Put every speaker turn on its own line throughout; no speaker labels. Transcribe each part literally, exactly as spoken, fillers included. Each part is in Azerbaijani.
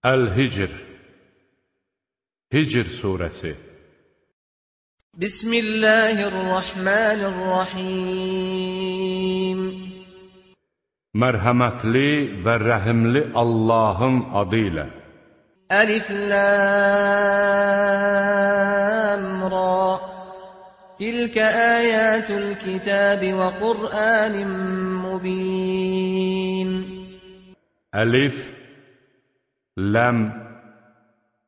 Əl-Hicr Hicr surəsi
Bismillahirrahmanirrahim
Mərhəmətli və rəhimli Allahın adı ilə
Əlif Lam Ra Tilkə əyətul kitəbi və Qur'anin mubin
Əlif Ləm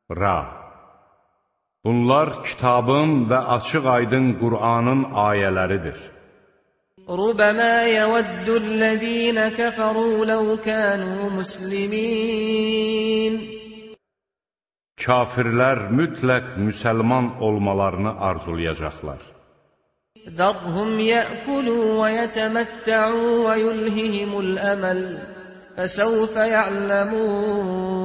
Ra Bunlar kitabın və açıq-aydın Qur'anın ayələridir.
Rubəmə yəvəddü'l-ləzīnə kəfəru ləv kənu muslimin
Kafirlər mütləq müsəlman olmalarını arzulayacaqlar.
Zərhum yə'kulu və yətəməttə'u və yulhihimul əməl fəsəvfə ya'ləmun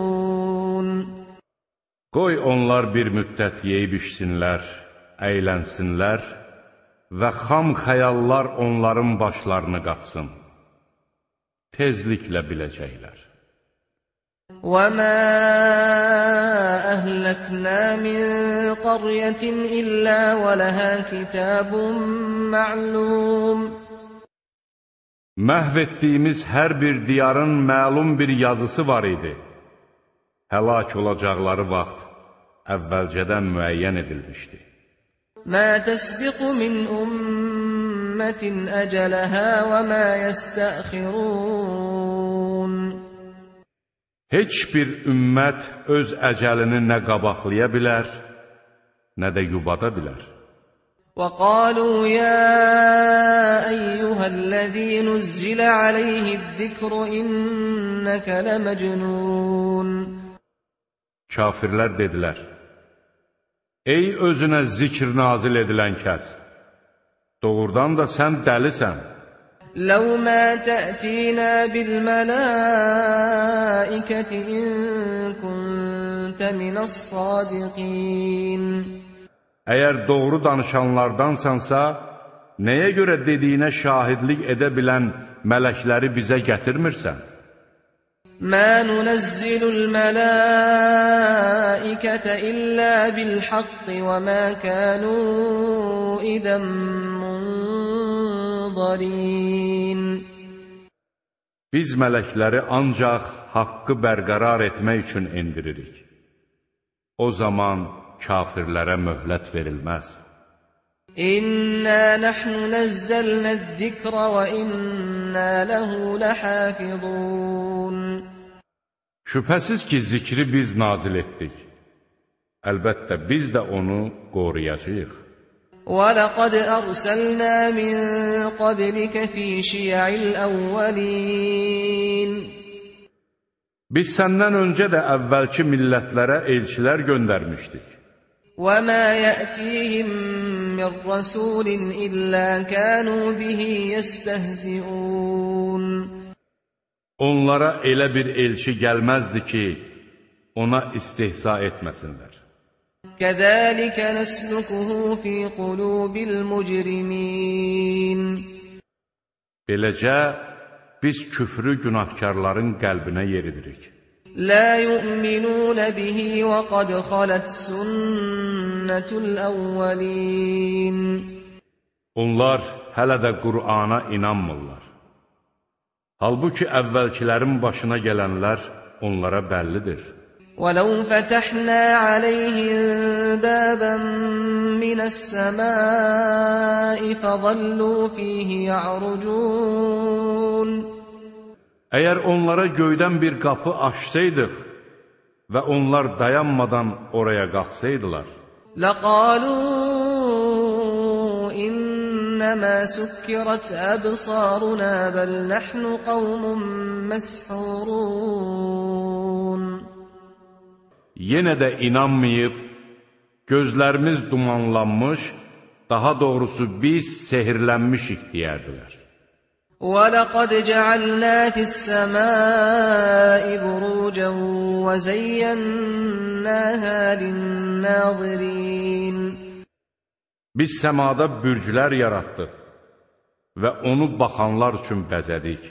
Qoy onlar bir müddət yeyib içsinlər, əylənsinlər və xam xəyallar onların başlarını qatsın. Tezliklə biləcəklər.
وَمَا أَهْلَكْنَا مِنْ قَرْيَةٍ إِلَّا وَلَهَا كِتَابٌ مَعْلُومٌ
Məhv etdiyimiz hər bir diyarın məlum bir yazısı var idi. Həlak olacaqları vaxt əvvəlcədən müəyyən edilmişdi.
مَا تَسْبِقُ مِنْ أُمَّةٍ أَجَلَهَا وَمَا يَسْتَأْخِرُونَ
Heç bir ümmət öz əcəlini nə qabaqlaya bilər, nə də yubada bilər.
وَقَالُوا يَا أَيُّهَا الَّذِي نُزِّلَ عَلَيْهِ الذِّكْرُ إِنَّكَ لَمَجْنُونَ
Kafirlər dedilər, ey özünə zikr nazil edilən kəs, doğrudan da sən dəlisən.
لَوْ مَا تَأْتِينَا بِالْمَلَائِكَةِ إِن كُنتَ مِنَ الصَّادِقِينَ
Əgər doğru danışanlardansansa, nəyə görə dediyinə şahidlik edə bilən mələkləri bizə gətirmirsən?
مَا نُنَزِّلُ الْمَلَائِكَةَ إِلَّا بِالْحَقِّ وَمَا كَانُوا إِذًا مُنظَرِينَ
Biz mələkləri ancaq haqqı bərqərar etmək üçün indiririk. O zaman kafirlərə möhlət verilməz.
İnna nahnu nazzalnaz-zikra və inna ləhu ləhafizun
Şübhəsiz ki, zikri biz nazil etdik. Əlbəttə, biz də onu qoruyacağıq.
وَلَقَدْ أَرْسَلْنَا مِنْ قَبْلِكَ فِي شِيَعِ الْأَوَّلِينَ
Biz səndən öncə də əvvəlki millətlərə elçilər göndərmişdik.
وَمَا يَأْتِيهِمْ مِنْ رَسُولٍ إِلَّا كَانُوا بِهِ يَسْتَهْزِئُونَ
Onlara elə bir elçi gəlməzdi ki, ona istehza etməsinlər.
كَذَلِكَ نَسْلُكُهُ فِي قُلُوبِ الْمُجْرِمِينَ
Beləcə, biz küfrü günahkarların qəlbinə yeridirik.
لَا يُؤْمِنُونَ بِهِ وَقَدْ خَلَتْ سُنَّةُ الْأَوَّلِينَ
Onlar hələ də Qur'ana inanmırlar. Halbuki əvvəlkilərin başına gələnlər onlara bəllidir.
وَلَوْ فَتَحْنَا عَلَيْهِمْ بَابًا مِنَ السَّمَاءِ فَظَلُّوا فِيهِ يَعْرُجُونَ
Əgər onlara göydən bir qapı açsaydıq və onlar dayanmadan oraya qalxsaydılar,
لَقَالُوا إِنَّمَا سُكِّرَتْ أَبْصَارُنَا بَلْ نَحْنُ قَوْمٌ مَسْحُورُونَ
yenə də inanmayıb, gözlərimiz dumanlanmış, daha doğrusu biz sehirlənmişik deyərdilər.
وَلَقَدْ جَعَلْنَا فِي السَّمَاءِ بُرُوجًا وَزَيَّنَّاهَا لِلنَّاظِرِينَ
Biz səmada bürclər yaratdıq və onu baxanlar üçün bəzədik.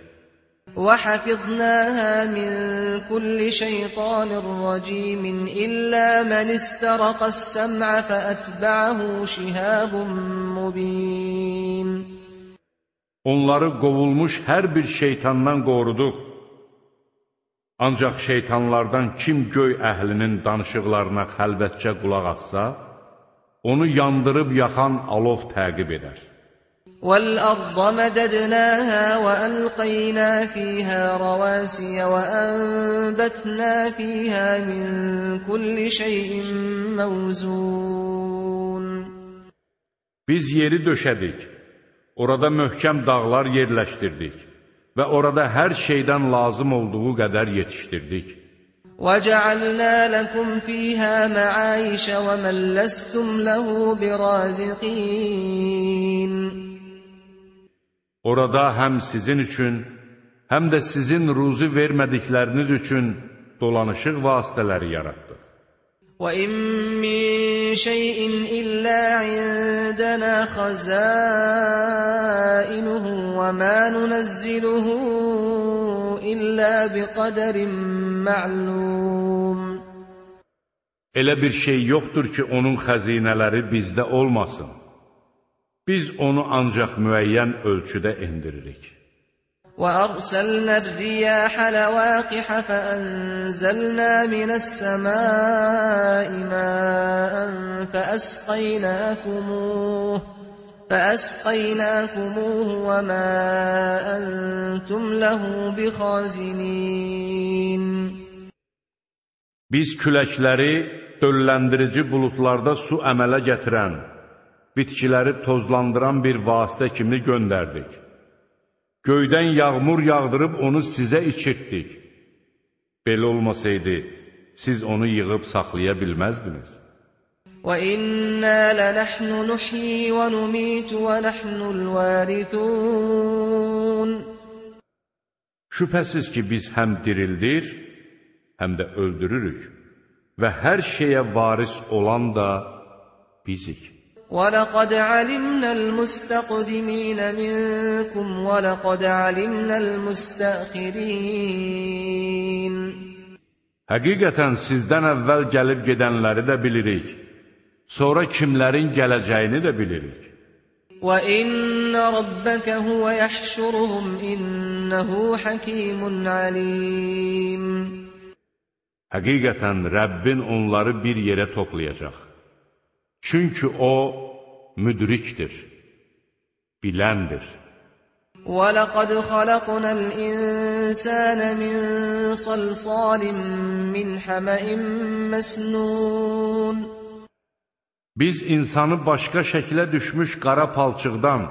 وَحَفِظْنَاهَا مِنْ كُلِّ شَيْطَانٍ رَجِيمٍ إِلَّا مَنِ اسْتَرَقَ السَّمْعَ فَأَتْبَعَهُ شِهَابٌ مُّبِينٌ.
Onları qovulmuş hər bir şeytandan qoruduq. Ancaq şeytanlardan kim göy əhlinin danışıqlarına xəlvətcə qulaq assa, onu yandırıb yaxan alov təqib edər.
وَالْأَرْضَ مَدَدْنَاهَا وَأَلْقَيْنَا فِيهَا رَوَاسِيَ وَأَنبَتْنَا فِيهَا مِنْ كُلِّ شَيْءٍ مَوْزُونٍ.
Biz yeri döşədik, orada möhkəm dağlar yerləşdirdik və orada hər şeydən lazım olduğu qədər yetişdirdik.
وَجَعَلْنَا لَكُمْ فِيهَا مَعَايِشَ وَمَنْ لَسْتُمْ لَهُ بِرَازِقِينَ.
Orada həm sizin üçün, həm də sizin ruzi vermədikləriniz üçün dolanışıq vasitələri yaratdıq.
وَإِن مِّن شَيْءٍ إِلَّا عِندَنَا خَزَائِنُهُ وَمَا نُنَزِّلُهُ إِلَّا بِقَدَرٍ مَّعْلُومٍ.
Elə bir şey yoxdur ki, onun xəzinələri bizdə olmasın. Biz onu ancaq müəyyən ölçüdə endiririk.
وَأَرْسَلْنَا الرِّيَاحَ لَوَاقِحَ فَأَنزَلْنَا مِنَ السَّمَاءِ مَاءً فَأَسْقَيْنَاكُمُوهُ فَأَسْقَيْنَاكُمُوهُ وَمَا أَنْتُمْ لَهُ بِخَازِنِينَ.
Biz küləkləri dölləndirici buludlarda su əmələ gətirən, bitkiləri tozlandıran bir vasitə kimi göndərdik. Göydən yağmur yağdırıb onu sizə içirtdik. Belə olmasaydı, siz onu yığıb saxlaya bilməzdiniz.
وَإِنَّا لَنَحْنُ نُحْيِي وَنُمِيتُ وَنَحْنُ الْوَارِثُونَ.
Şübhəsiz ki, biz həm dirildir, həm də öldürürük və hər şeyə varis olan da bizik.
وَلَقَدْ عَلِمْنَا الْمُسْتَقْدِمِينَ مِنْكُمْ وَلَقَدْ عَلِمْنَا الْمُسْتَأْخِرِينَ.
Həqiqətən sizdən əvvəl gəlib gedənləri də bilirik. Sonra kimlərin gələcəyini də bilirik.
وَإِنَّ رَبَّكَ هُوَ يَحْشُرُهُمْ إِنَّهُ حَكِيمٌ عَلِيمٌ.
Həqiqətən Rəbbin onları bir yerə toplayacaq. Çünki O müdrikdir, biləndir.
وَلَقَدْ خَلَقْنَا الْإِنسَانَ مِنْ صَلْصَالٍ مِنْ حَمَإٍ مَسْنُونٍ.
Biz insanı başqa şəklə düşmüş qara palçıqdan,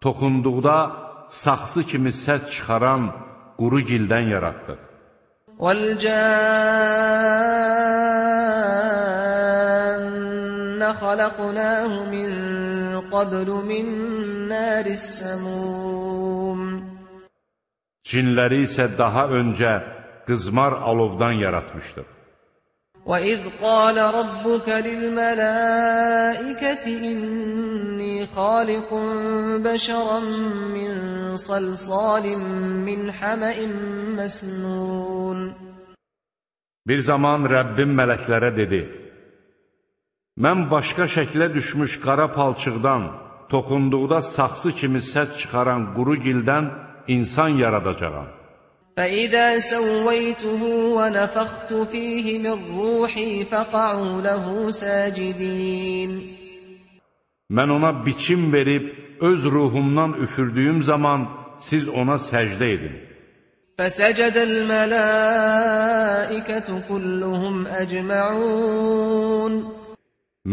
toxunduqda saxsı kimi səs çıxaran quru gildən yaratdıq.
وَالْجَانَّ خَلَقْنَاهُ مِنْ قَبْلُ مِنْ نَارِ السَّمُومِ.
Cinləri isə daha öncə qızmar alovdan yaratmışdıq.
وَإِذْ قَالَ رَبُّكَ لِلْمَلَائِكَةِ إِنِّي خَالِقٌ بَشَرًا مِّن صَلْصَالٍ مِّنْ حَمَإٍ مَسْنُونٍ.
Bir zaman Rəbbim mələklərə dedi: Mən başqa şəklə düşmüş qara palçıqdan, toxunduqda saxsı kimi səs çıxaran quru gildən insan yaradacağam.
فَإِذَا سَوَّيْتُهُ وَنَفَخْتُ فِيهِ مِنْ رُوحِي فَقَعُوا لَهُ سَاجِدِينَ.
Mən ona biçim verib, öz ruhumdan üfürdüyüm zaman siz ona səcdə edin.
فَسَجَدَ الْمَلَائِكَةُ كُلُّهُمْ أَجْمَعُونَ.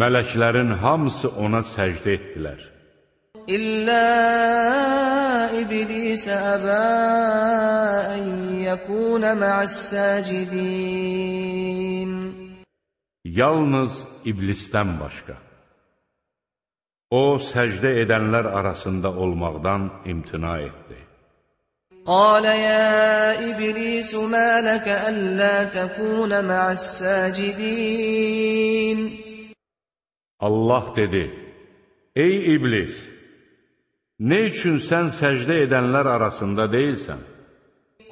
Mələklərin hamısı ona səcdə etdilər.
İllə İblis əbə ən yəkunə mə'əs-səcidin.
Yalnız İblisdən başqa. O, səcdə edənlər arasında olmaqdan imtina etdi.
Qalə yə İblis mə ləkə əllə təkunə mə'əs-səcidin.
Allah dedi: Ey İblis! Nə üçün sən səcdə edənlər arasında deyilsən?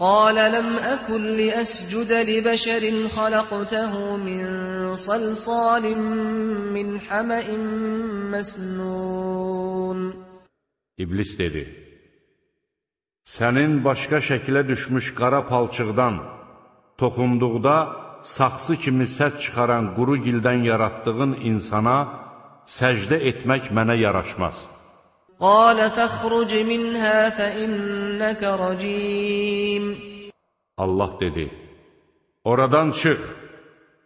قال لم أكن لأسجد لبشر خلقته من صلصال من حمأ مسنون.
İblis dedi: Sənin başqa şəkilə düşmüş qara palçıqdan toxunduqda saxsı kimi səs çıxaran quru gildən yaratdığın insana səcdə etmək mənə yaraşmaz.
قال فاخرج منها فإنك رجيم.
Allah dedi: Oradan çıx,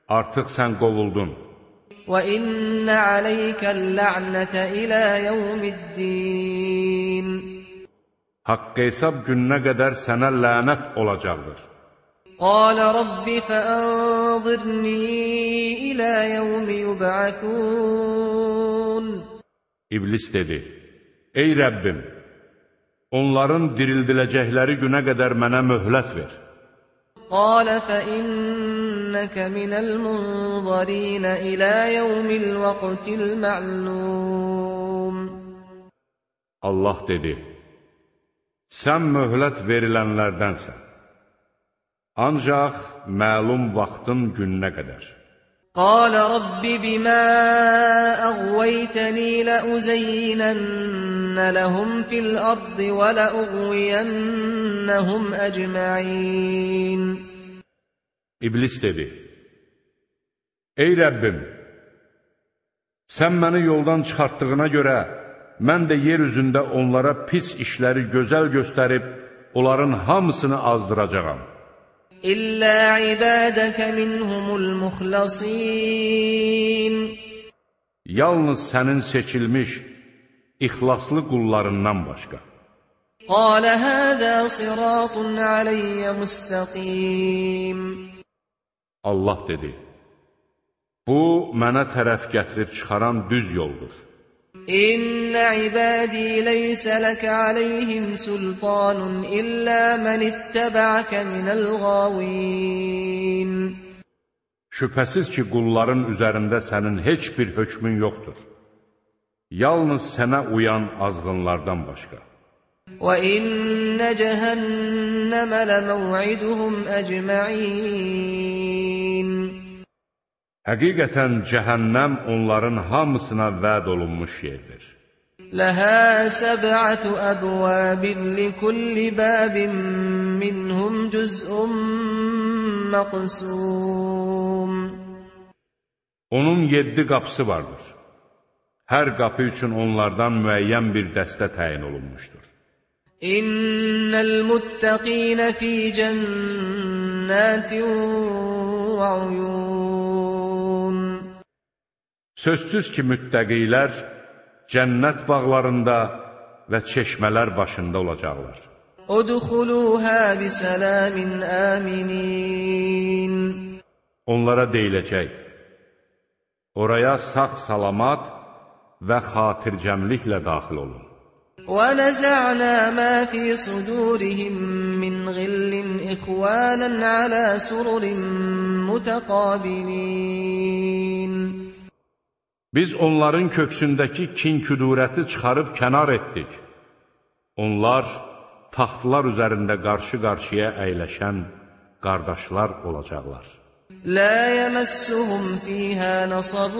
artıq sən qovuldun.
وإن عليك اللعنة إلى يوم الدين.
Haqq hesab gününə qədər sənə lənət olacaqdır.
قال رب فأنظرني إلى يوم يبعثون.
İblis dedi: Ey Rəbbim, onların dirildiləcəkləri günə qədər mənə möhlət ver.
قال فإنك من المنظرين إلى يوم الوقت المعلوم.
Allah dedi: Sən möhlət verilənlərdənsən. Ancaq məlum vaxtın gününə qədər.
قال رب بما أغويتني لأزينن لهم في الأرض ولأغوينهم أجمعين.
İblis dedi: Ey Rəbbim, sən məni yoldan çıxartdığına görə, mən də yer üzündə onlara pis işləri gözəl göstərib, onların hamısını azdıracağam.
İllə ibadəkə minhumul muxlasin.
Yalnız sənin seçilmiş, ixlaslı qullarından başqa.
Qalə həzə siratun aleyyə müstəqim.
Allah dedi: Bu, mənə tərəf gətirib çıxaran düz yoldur.
İnnə ibadī leysə ləkə aleyhim sultanun illə mən ittəbəəkə minəl qavin.
Şübhəsiz ki, qulların üzərində sənin heç bir hökmün yoxdur. Yalnız sənə uyan azğınlardan başqa.
Və innə cəhənnəmə ləməv'iduhum əcməin.
Həqiqətən cəhənnəm onların hamısına vəd olunmuş yerdir.
Ləhə səb'ətü əbvəbin likulli bəbin minhum cüz'un məqsum.
Onun yeddi qapısı vardır. Hər qapı üçün onlardan müəyyən bir dəstə təyin olunmuşdur.
İnnəl muttəqinə fī cənnətin və uyun.
Sözsüz ki, müttəqilər cənnət bağlarında və çeşmələr başında olacaqlar.
Udxuluhə bisəlamin əminin.
Onlara deyiləcək: Oraya sağ-salamat və xatircəmliklə daxil olun.
وَنَزَعْنَا مَا فِي صُدُورِهِمْ مِنْ غِلٍّ إِخْوَانًا عَلَى سُرُرٍ مُتَقَابِلِينَ.
Biz onların köksündəki kin-küdurəti çıxarıb kənar etdik. Onlar taxtlar üzərində qarşı-qarşıya əyləşən qardaşlar olacaqlar.
لَا يَمَسُّهُمْ فِيهَا نَصَبٌ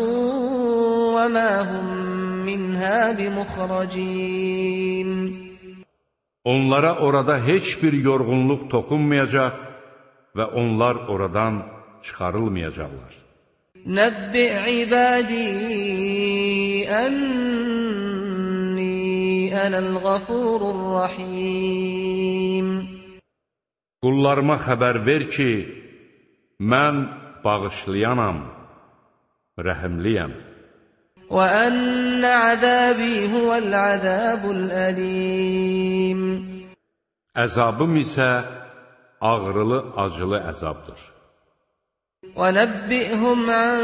وَمَا هُمْ مِنْهَا بِمُخْرَجِينَ. Onlara orada heç bir yorğunluq toxunmayacaq və onlar oradan çıxarılmayacaqlar. Nəbbi ibadī ənni ənəl-ğafurur rahim. Qullarıma xəbər ver ki, mən bağışlayanam, rəhimliyəm. وَأَنَّ عَذَابِي هُوَ الْعَذَابُ الْأَلِيمُ. Əzabım isə ağrılı, acılı əzabdır. وَنَبِّئْهُمْ عَنْ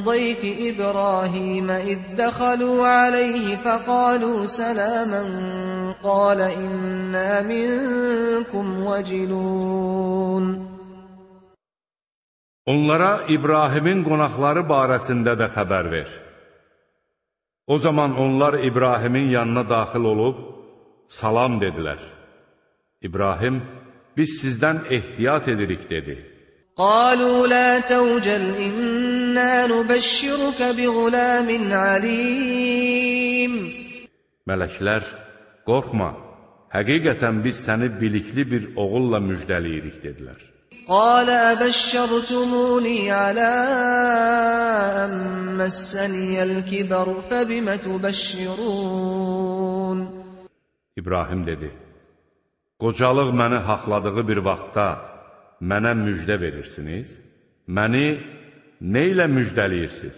ضَيْفِ إِبْرَاهِيمَ إِذْ دَخَلُوا عَلَيْهِ فَقَالُوا سَلَامًا قَالَ إِنَّا مِنْكُمْ وَجِلُونَ. Onlara İbrahimin qonaqları barəsində də xəbər ver. O zaman onlar İbrahimin yanına daxil olub, salam dedilər. İbrahim,
biz sizdən ehtiyat edirik, dedi.
قالوا لا توجل إنا نبشرك بغلام عليم.
Mələklər, qorxma, həqiqətən biz səni bilikli bir oğulla müjdəliyirik, dedilər.
قال أبشرتموني على أن مسني الكبر فبم تبشرون.
İbrahim dedi, qocalıq məni haqladığı bir vaxtda mənə müjdə verirsiniz, məni nə ilə müjdəliyirsiniz?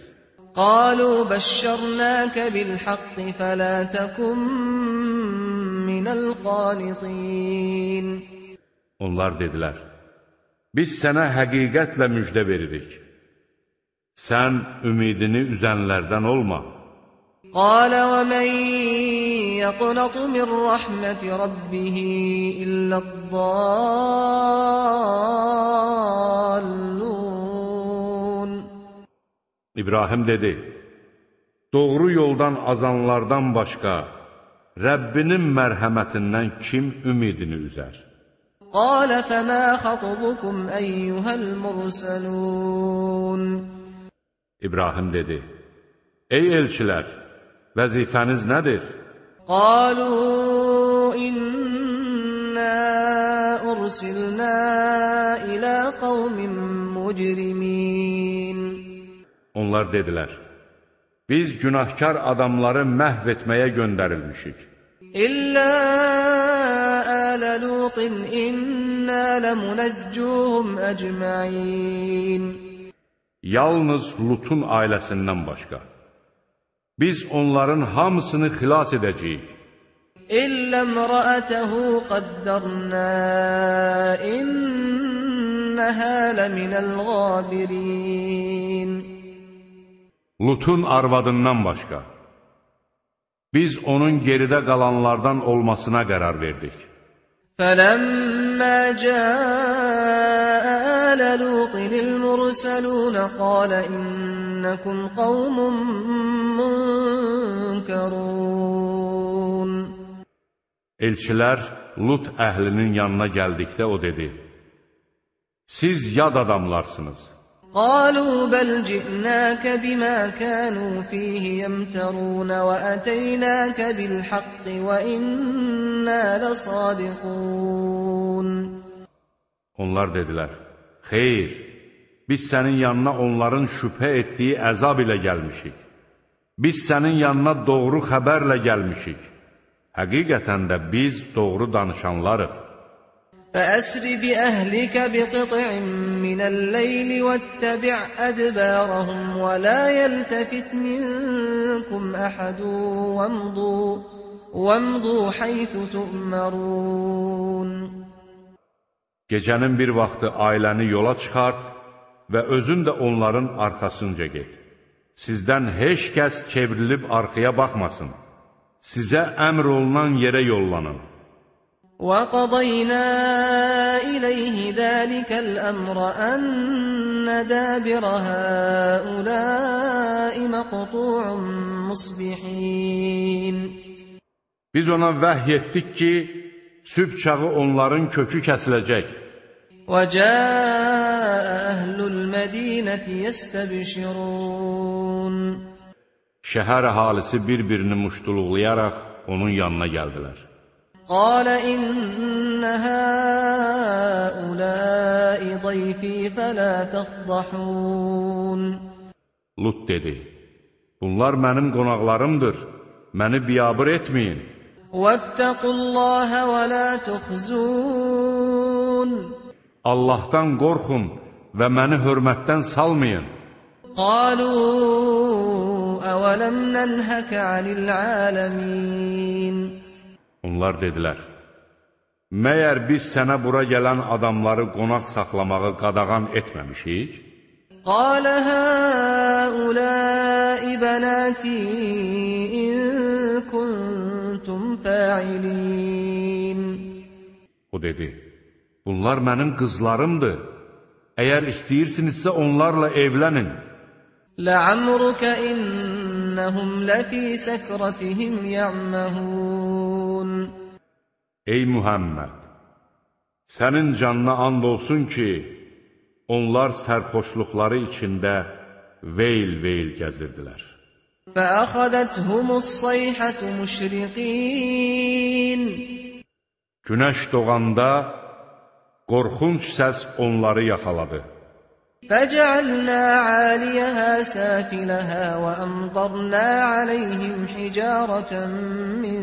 قالوا بشرناك بالحق فلا تكن من القانطين.
Onlar dedilər, biz sənə həqiqətlə müjdə veririk. Sən ümidini üzənlərdən olma.
قال ومن يقنط من رحمة ربه إلا الضالون.
İbrahim dedi, doğru yoldan azanlardan başqa Rəbbinin mərhəmətindən kim ümidini üzər?
قال فما خطبكم أيها المرسلون.
İbrahim dedi, ey elçilər, vəzifəniz nədir?
قالوا إنا أرسلنا إلى قوم مجرمين.
Onlar dedilər, biz günahkar adamları məhv etməyə göndərilmişik.
İllə ələ Lutin innə ləmunəccuhum əcməin.
Yalnız Lutun ailəsindən başqa. Biz onların hamısını xilas edəcəyik.
İllə mrəətəhu qaddərnə innəhə ləminəl qabirin.
Lutun arvadından başqa. Biz onun geridə qalanlardan olmasına qərar verdik.
فَلَمَّا جَاءَ آلَ لُوطٍ الْمُرْسَلُونَ قَالَ إِنَّكُمْ قَوْمٌ مُنْكَرُونَ.
Elçilər Lut əhlinin yanına gəldikdə o dedi, siz yad adamlarsınız.
قالوا بل جئناك بما كانوا فيه يمترون وأتيناك بالحق وإنا لصادقون.
Onlar dedilər, xeyr, biz sənin yanına onların şübhə etdiyi əzab ilə gəlmişik. Biz sənin yanına doğru xəbərlə gəlmişik. Həqiqətən də biz doğru danışanlarıq.
فأسر بأهلك بقطع من الليل واتبع أدبارهم ولا يلتفت منكم أحد وامضوا, وامضوا حيث تؤمرون.
Gecənin bir vaxtı ailəni yola çıxart və özün də onların arxasınca get. Sizdən heç kəs çevrilib arxaya baxmasın. Sizə əmr olunan yerə yollanın.
وَقَضَيْنَا إِلَيْهِ ذَلِكَ الْأَمْرَ أَنَّ دَابِرَ هَؤُلَاءِ مَقْطُوعٌ مُصْبِحِينَ.
Biz ona vəhy etdik ki, sübh çağı onların kökü kəsiləcək.
وَجَاءَ أَهْلُ الْمَدِينَةِ يَسْتَبْشِرُونَ.
Şəhər əhalisi bir-birini muştuluqlayaraq onun yanına gəldilər.
قال إن هؤلاء ضيفي فلا تفضحون.
Lut dedi, bunlar mənim qonaqlarımdır, məni biyabır etməyin.
واتقوا الله ولا تخزون.
Allahdan qorxun və məni hörmətdən salmayın.
قالوا أولم ننهك عن العالمين.
Onlar dedilər, məyər biz sənə bura gələn adamları qonaq saxlamağı qadağan etməmişik?
قال هؤلاء بناتي إن كنتم فاعلين.
O dedi, bunlar mənim qızlarımdır. Əgər istəyirsinizsə onlarla evlənin.
لعمرك إنهم لفي سكرتهم يعمهون.
Ey Muhammed, Sənin canına and olsun ki, onlar sərxoşluqları içində veyl-veyl gəzirdilər.
فَأَخَذَتْهُمُ الصَّيْحَةُ مُشْرِقِينَ
Günəş doğanda qorxunc səs onları yaxaladı.
فَجَعَلْنَا عَالِيَهَا سَافِلَهَا وَأَمْطَرْنَا عَلَيْهِمْ حِجَارَةً مِّن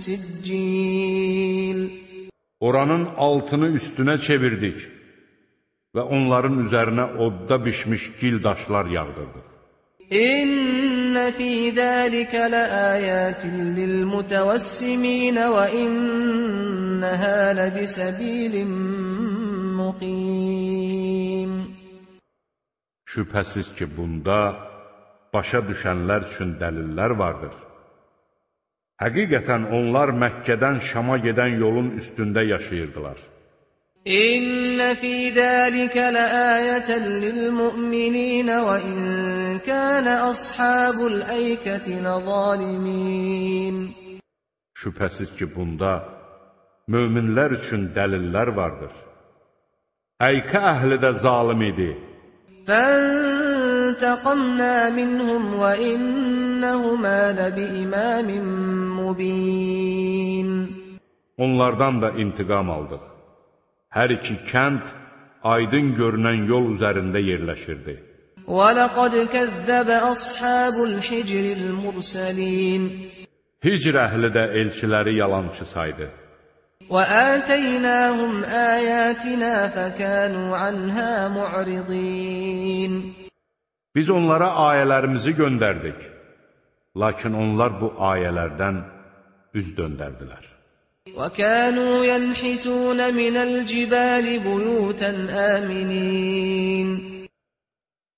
سِجِّيلٍ
Oranın altını üstünə çevirdik və onların üzərinə odda bişmiş gil daşlar yağdırdıq.
İnne fî zâlike leâyâtin lilmutevessimîn ve innehâ lebisebîlin muqîm.
Şübhəsiz ki, bunda başa düşənlər üçün dəlillər vardır. Həqiqətən onlar Məkkədən Şama gedən yolun üstündə yaşayırdılar.
İnne fî zâlike leâyeten lilmu'minîn ve in kâne ashabul eyketi lezâlimîn.
Şübhəsiz ki, bunda möminlər üçün dəlillər vardır. Əykə əhli də zalim idi.
فَانْتَقَمْنَا مِنْهُمْ وَإِنَّهُمَا لَبِإِمَامٍ مُّبِينٍ
Onlardan da intiqam aldıq. Hər iki kənd aydın görünən yol üzərində yerləşirdi.
وَلَقَدْ كَذَّبَ أَصْحَابُ الْحِجْرِ الْمُرْسَلِينَ
Hicr əhli də elçiləri yalançı saydı.
وَآتَيْنَاهُمْ آيَاتِنَا فَكَانُوا عَنْهَا مُعْرِضِينَ
Biz onlara ayələrimizi göndərdik. Lakin onlar bu ayələrdən üz döndərdilər.
وَكَانُوا يَنْحِتُونَ مِنَ الْجِبَالِ بُيُوتًا آمِنِينَ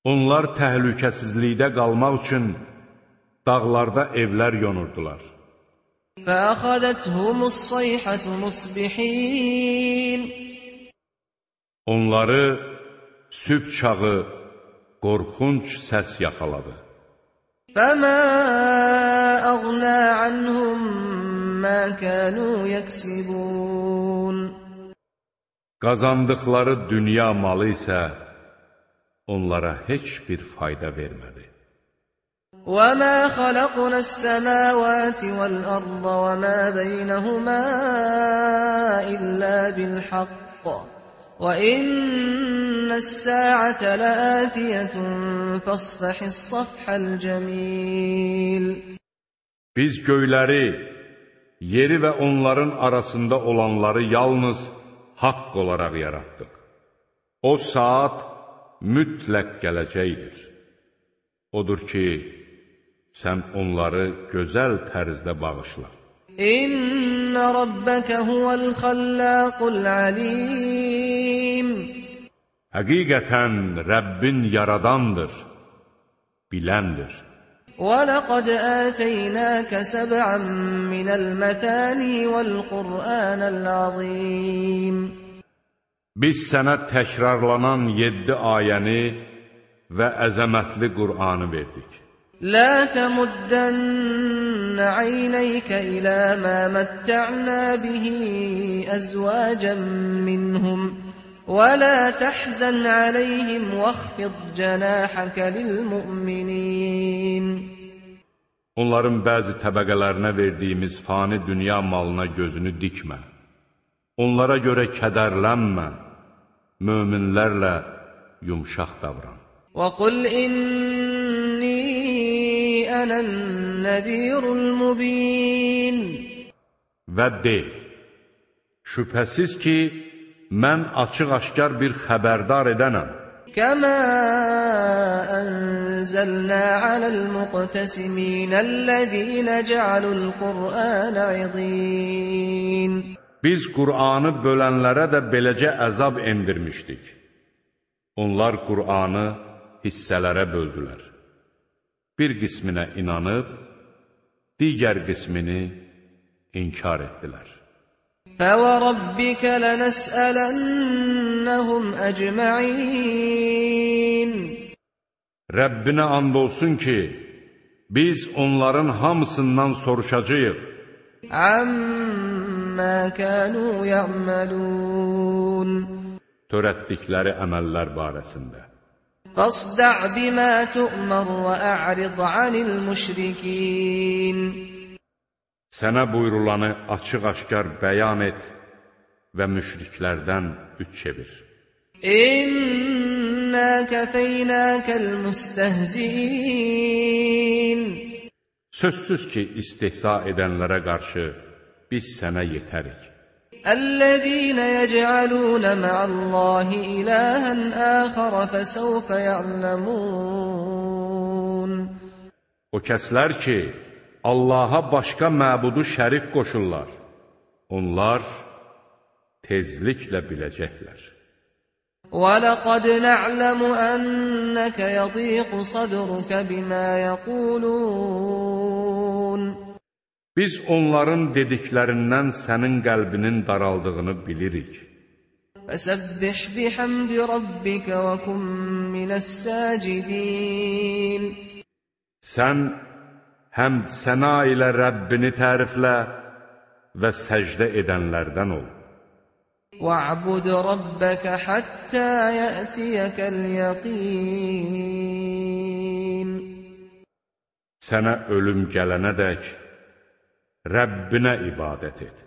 Onlar təhlükəsizlikdə qalmaq üçün dağlarda evlər yonurdular.
فَأَخَذَتْهُمُ الصَّيْحَةُ مُصْبِحِينَ
Onları sübh çağı qorxunc səs yaxaladı.
فَمَا أَغْنَى عَنْهُمْ مَا كَانُوا يَكْسِبُونَ
Qazandıqları dünya malı isə onlara heç bir fayda vermədi.
وَمَا خَلَقْنَا السَّمَاوَاتِ وَالْأَرْضَ وَمَا بَيْنَهُمَا إِلَّا بِالْحَقِّ وَإِنَّ السَّاعَةَ لَآتِيَةٌ فَاصْفَحِ الصَّفْحَ الْجَمِيلَ
Biz göyləri, yeri və onların arasında olanları yalnız haqq olaraq yaratdıq. O saat mütləq gələcəkdir. Odur ki, sən onları gözəl tərzdə bağışla.
İnne rabbeke huvel xallaqul alim
Həqiqətən Rəbbin yaradandır, biləndir.
وَلَقَدْ آتَيْنَاكَ سَبْعًا مِنَ الْمَثَانِي وَالْقُرْآنَ الْعَظِيمِ
Biz sənə təkrarlanan yeddi ayəni və əzəmətli Qur'anı verdik.
لا تمدن عينيك إلى ما متعنا به أزواجا منهم ولا تحزن عليهم واخفض جناحك للمؤمنين
Onların bəzi təbəqələrinə verdiyimiz fani dünya malına gözünü dikmə. Onlara görə kədərlənmə. Möminlərlə yumşaq davran.
وَقُلْ إِنِّي أَنَا النَّذِيرُ الْمُبِينُ
Və de, şübhəsiz ki, mən açıq-aşkar bir xəbərdar edənəm.
كَمَا أَنزَلْنَا عَلَى الْمُقْتَسِمِينَ الَّذِينَ جَعَلُوا الْقُرْآنَ عِضِينَ
Biz Qur'anı bölənlərə də beləcə əzab endirmişdik. Onlar Qur'anı hissələrə böldülər. Bir qisminə inanıb, digər qismini inkar etdilər.
فَوَرَبِّكَ لَنَسْأَلَنَّهُمْ أَجْمَعِينَ
Rəbbinə and olsun ki, biz onların hamısından soruşacağıq.
عَمَّا كَانُوا يَعْمَلُونَ
törətdikləri əməllər barəsində.
فاصدع بما تؤمر وأعرض عن المشركين.
Sənə buyurulanı açıq-aşkar bəyan et və müşriklərdən üç çevir.
İnna kafeynakal mustehziin.
Sözsüz ki, istehza edənlərə qarşı biz sənə yetərik.
الذين يجعلون مع الله إلها آخر فسوف يعلمون.
O kəslər ki, Allaha başqa məbudu şərik qoşurlar, onlar tezliklə biləcəklər.
وَلَقَدْ نَعْلَمُ أَنَّكَ يَضِيقُ صَدْرُكَ بِمَا يَقُولُونَ.
Biz onların dediklərindən sənin qəlbinin daraldığını bilirik.
فَسَبِّحْ بِحَمْدِ رَبِّكَ وَكُن مِّنَ السَّاجِدِينَ.
Sən həmd səna ilə Rəbbini təriflə və səcdə edənlərdən ol.
وَاعْبُدْ رَبَّكَ حَتَّى يَأْتِيَكَ الْيَقِينُ.
Sənə ölüm gələnədək Rəbbinə ibadət et.